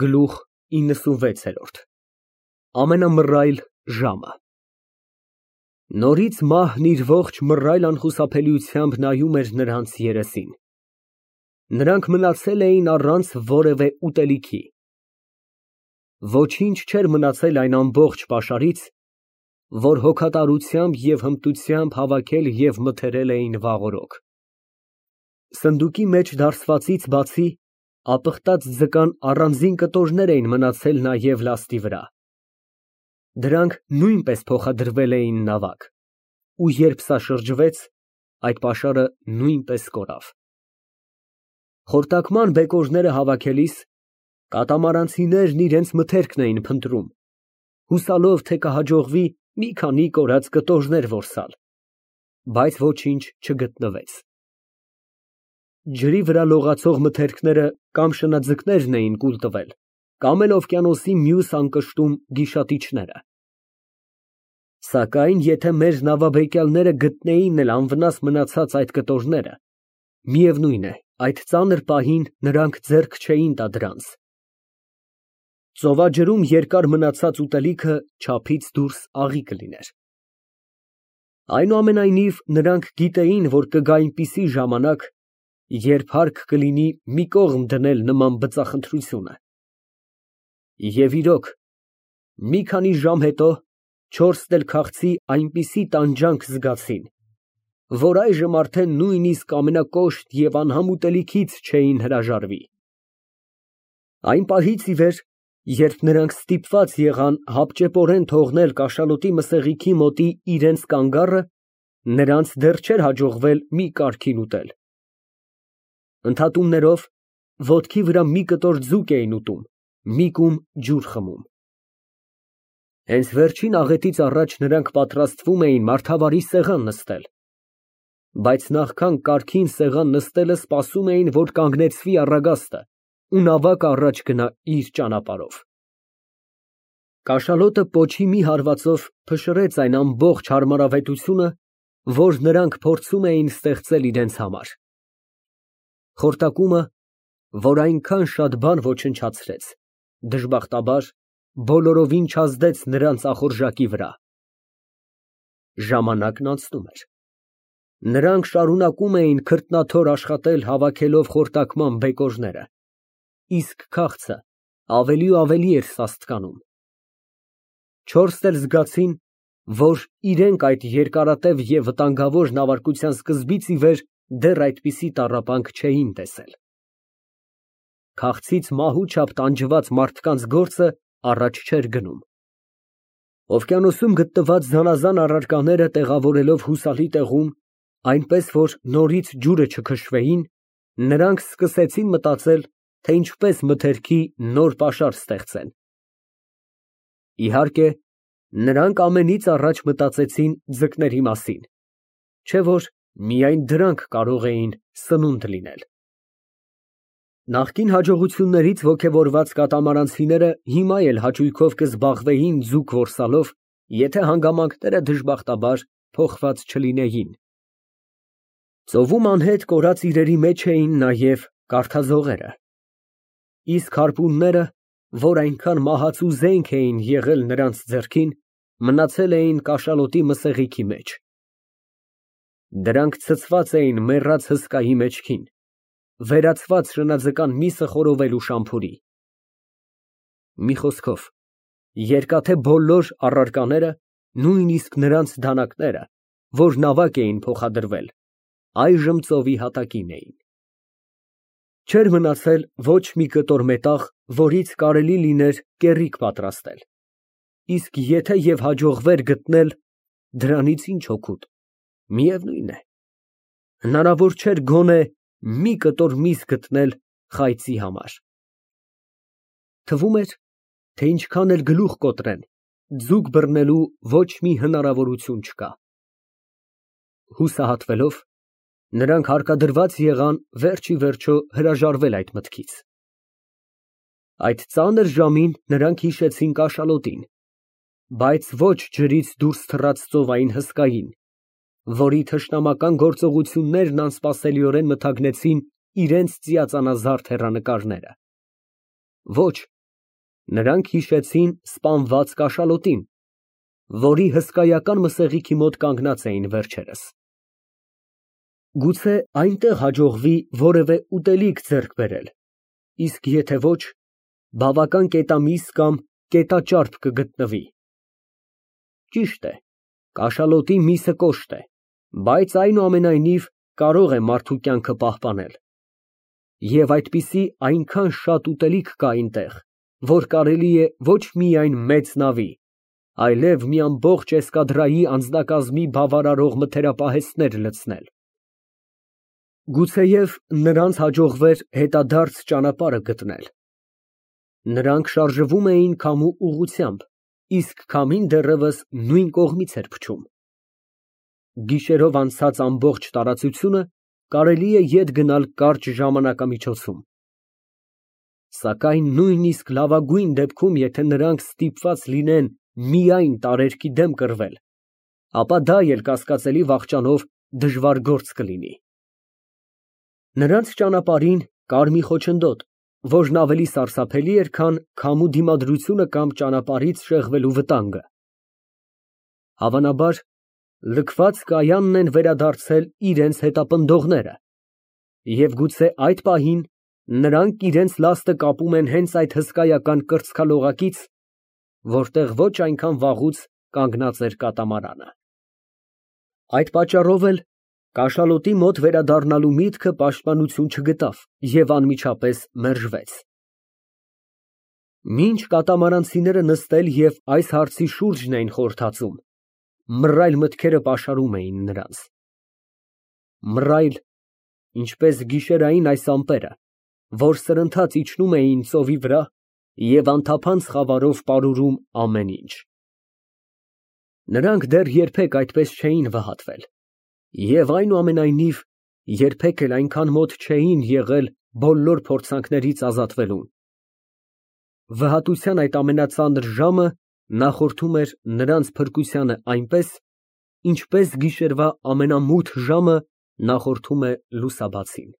Գլուխ 96 Ամենամռայլ ժամը Նորից մահն իր ողջ մռայլ անխուսափելիությամբ նայում էր նրանց երեսին։ Նրանք մնացել էին առանց որևէ ուտելիքի։ Ոչինչ չէր մնացել այն ամբողջ պաշարից, որ հոգատարությամբ և հմտությամբ հավաքել և մթերել էին վաղօրոք։ Սնդուկի մեջ դարսվածից բացի, ապխտած ձկան առանձին կտորներ էին մնացել նաև լաստի վրա։ Դրանք նույնպես փոխադրվել էին նավակ, ու երբ սա շրջվեց, այդ պաշարը նույնպես կորավ։ Խորտակման բեկորները հավաքելիս, կատամարանցիներն իրենց մթերքն էին փնտրում, հուսալով, թե կհաջողվի մի քանի կորած կտորներ որսալ, բայց ոչինչ չգտնվեց։ Ջրի վրա լողացող մթերքները կամ շնաձկներն էին կուլ տվել, կամ էլ օվկիանոսի մյուս անկշտում գիշատիչները։ Սակայն եթե մեր նավաբեկյալները գտնեին էլ անվնաս մնացած այդ կտորները, միևնույն է, այդ ծանր պահին նրանք ձեռք չէին տա դրանց։ Ծովաջրում երկար մնացած ուտելիքը չափից դուրս աղի կլիներ։ Այնուամենայնիվ, նրանք գիտեին, որ կգա այնպիսի ժամանակ, երբ հարկ կլինի մի կողմ դնել նման բծախնդրությունը։ Եվ իրոք, մի քանի ժամ հետո չորսն էլ քաղցի այնպիսի տանջանք զգացին, որ այժմ արդեն նույնիսկ ամենակոշտ և անհամ ուտելիքից չէին հրաժարվի։ Այն պահից ի վեր, երբ նրանք ստիպված եղան հապճեպորեն թողնել կաշալոտի մսեղիքի մոտի իրենց կանգառը, նրանց դեռ չէր հաջողվել մի կարգին ուտել։ Ընդհատումներով, ոտքի վրա մի կտոր ձուկ էին ուտում, մի կում ջուր խմում։ Հենց վերջին աղետից առաջ նրանք պատրաստվում էին մարդավարի սեղան նստել, բայց նախքան կարգին սեղան նստելը սպասում էին, որ կանգնեցվի առագաստը, ու նավակը առաջ գնա իր ճանապարհով։ Կաշալոտը պոչի մի հարվածով փշրեց այն ամբողջ հարմարավետությունը, որ նրանք փորձում էին ստեղծել իրենց համար։ Խորտակումը, որ այնքան շատ բան ոչնչացրեց, դժբախտաբար, բոլորովին չազդեց նրանց ախորժակի վրա։ Ժամանակն անցնում էր։ Նրանք շարունակում էին քրտնաթոր աշխատել հավաքելով խորտակման բեկորները, իսկ քաղցը ավելի ու ավելի էր սաստկանում։ Չորսն էլ զգացին, որ իրենք այդ երկարատև և վտանգավոր նավարկության սկզբից ի վեր դեռ այդպիսի տառապանք չէին տեսել։ Քաղցից մահու չափ տանջված մարդկանց գործը առաջ չէր գնում։ Օվկիանոսում գտնված զանազան առարկաները տեղավորելով հուսալի տեղում, այնպես որ նորից ջուրը չքշվեին, նրանք սկսեցին մտածել, թե ինչպես մթերքի նոր պաշար ստեղծեն։ Իհարկե, նրանք ամենից առաջ մտածեցին ձկների մասին, չէ՞ որ միայն դրանք կարող էին սնունդ լինել։ Նախկին հաջողություններից ոգևորված կատամարանցիները հիմա էլ հաճույքով կզբաղվեին ձուկ որսալով, եթե հանգամանքները դժբախտաբար փոխված չլինեին։ Ծովում անհետ կորած իրերի մեջ էին նաև կարթազողերը, իսկ հարպունները, որ այնքան մահացու զենք էին եղել նրանց ձեռքին, մնացել էին կաշալոտի մսեղիքի մեջ։ Դրանք ցցված էին մեռած հսկայի մեջքին, վերացված շնաձկան միսը խորովելու շամփուրի։ Մի խոսքով, երկաթե բոլոր առարկաները, նույնիսկ նրանց դանակները, որ նավակ էին փոխադրվել, այժմ ծովի հատակին էին։ Չէր մնացել ոչ մի կտոր մետաղ, որից կարելի լիներ կեռիկ պատրաստել, իսկ եթե և հաջողվեր գտնել, դրանից ինչ օգուտ, միևնույն է, հնարավոր չէր գոնե մի կտոր միս գտնել խայծի համար։ Թվում էր, թե ինչքան էլ գլուխ կոտրեն, ձուկ բռնելու ոչ մի հնարավորություն չկա։ Հուսահատվելով, նրանք հարկադրված եղան վերջ ի վերջո հրաժարվել այդ մտքից։ Այդ ծանր ժամին նրանք հիշեցին կաշալոտին, բայց ոչ ջրից դուրս թռած ծովային հսկային, որի թշնամական գործողություններն անսպասելիորեն մթագնեցին իրենց ծիածանազարդ հեռանկարները։ Ոչ, Նրանք հիշեցին սպանված կաշալոտին, որի հսկայական մսեղիքի մոտ կանգնած էին վերջերս։ Գուցե այնտեղ հաջողվի որևէ ուտելիք ձեռք բերել, իսկ եթե ոչ, բավական կետամիս կամ կետաճարպ կգտնվի։ Ճիշտ է, կաշալոտի միսը կոշտ է, բայց այնուամենայնիվ կարող է մարդու կյանքը պահպանել։ Եվ այդպիսի այնքան շատ ուտելիք կա այնտեղ, որ կարելի է ոչ միայն մեծ նավի, այլև մի ամբողջ էսկադրայի անձնակազմի բավարարող մթերապահեստներ լցնել։ Գուցեև նրանց հաջողվեր հետադարձ ճանապարհը գտնել։ Նրանք շարժվում էին քամու ուղղությամբ, իսկ քամին դեռևս նույն կողմից էր փչում։ Գիշերով անցած ամբողջ տարածությունը կարելի է ետ գնալ կարճ ժամանակամիջոցում։ Սակայն նույնիսկ լավագույն դեպքում, եթե նրանք ստիպված լինեն միայն տարերկի դեմ կռվել, ապա դա էլ կասկածելի վախճանով դժվար գործ կլինի։ Նրանց ճանապարհին կար մի խոչընդոտ, որն ավելի սարսափելի էր, քան քամու դիմադրությունը կամ ճանապարհից շեղվելու վտանգը։ Հավանաբար, լքված կայանն են վերադարձել իրենց հետապնդողները, և գուցե այդ պահին նրանք իրենց լաստը կապում են հենց այդ հսկայական կրծքալողակից, որտեղ ոչ այնքան վաղուց կանգնած էր կատամարանը։ Այդ պատճառով էլ կաշալոտի մոտ վերադառնալու միտքը պաշտպանություն չգտավ և անմիջապես մերժվեց։ Մինչ կատամարանցիները նստել և այս հարցի շուրջն էին խորհրդածում, մռայլ մտքերը պաշարում էին նրանց։ Մռայլ, ինչպես գիշերային այս ամպերը, որ սրընթաց իջնում էին ծովի վրա և անթափանց խավարով պարուրում ամեն ինչ։ Նրանք դեռ երբեք այդպես չէին վհատվել և այնուամենայնիվ երբեք էլ այնքան մոտ չէին եղել բոլոր փորձանքներից ազատվելուն։ Վհատության այդ ամենածանր ժամը նախորդում էր նրանց փրկությանը այնպես, ինչպես գիշերվա ամենամութ ժամը նախորդում է լուսաբացին։